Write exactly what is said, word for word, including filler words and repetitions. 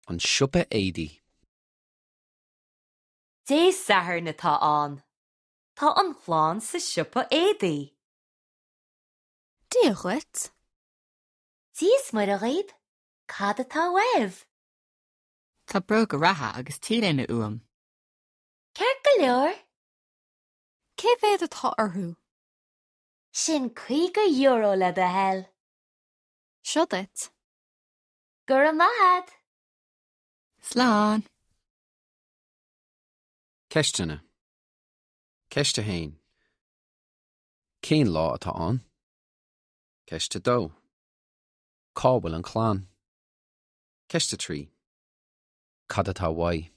An siopa éadaí. Dé Sathairn atá ann. Tá an chlann sa siopa éadaí. Dia dhuit. Dia is Muire dhaoibh, cad atá uaibh? Tá bróga reatha agus T-léine uaim. Ceart go leor, Cé mhéad atá orthu? sin caoga euro le do thoil. Seo duit. Go raibh maith agat. Slán. Ceisteanna. Ceist a haon. Cén lá atá ann? Ceist a dó. Cá bhfuil an chlann? Ceist a trí. Cad atá uaidh?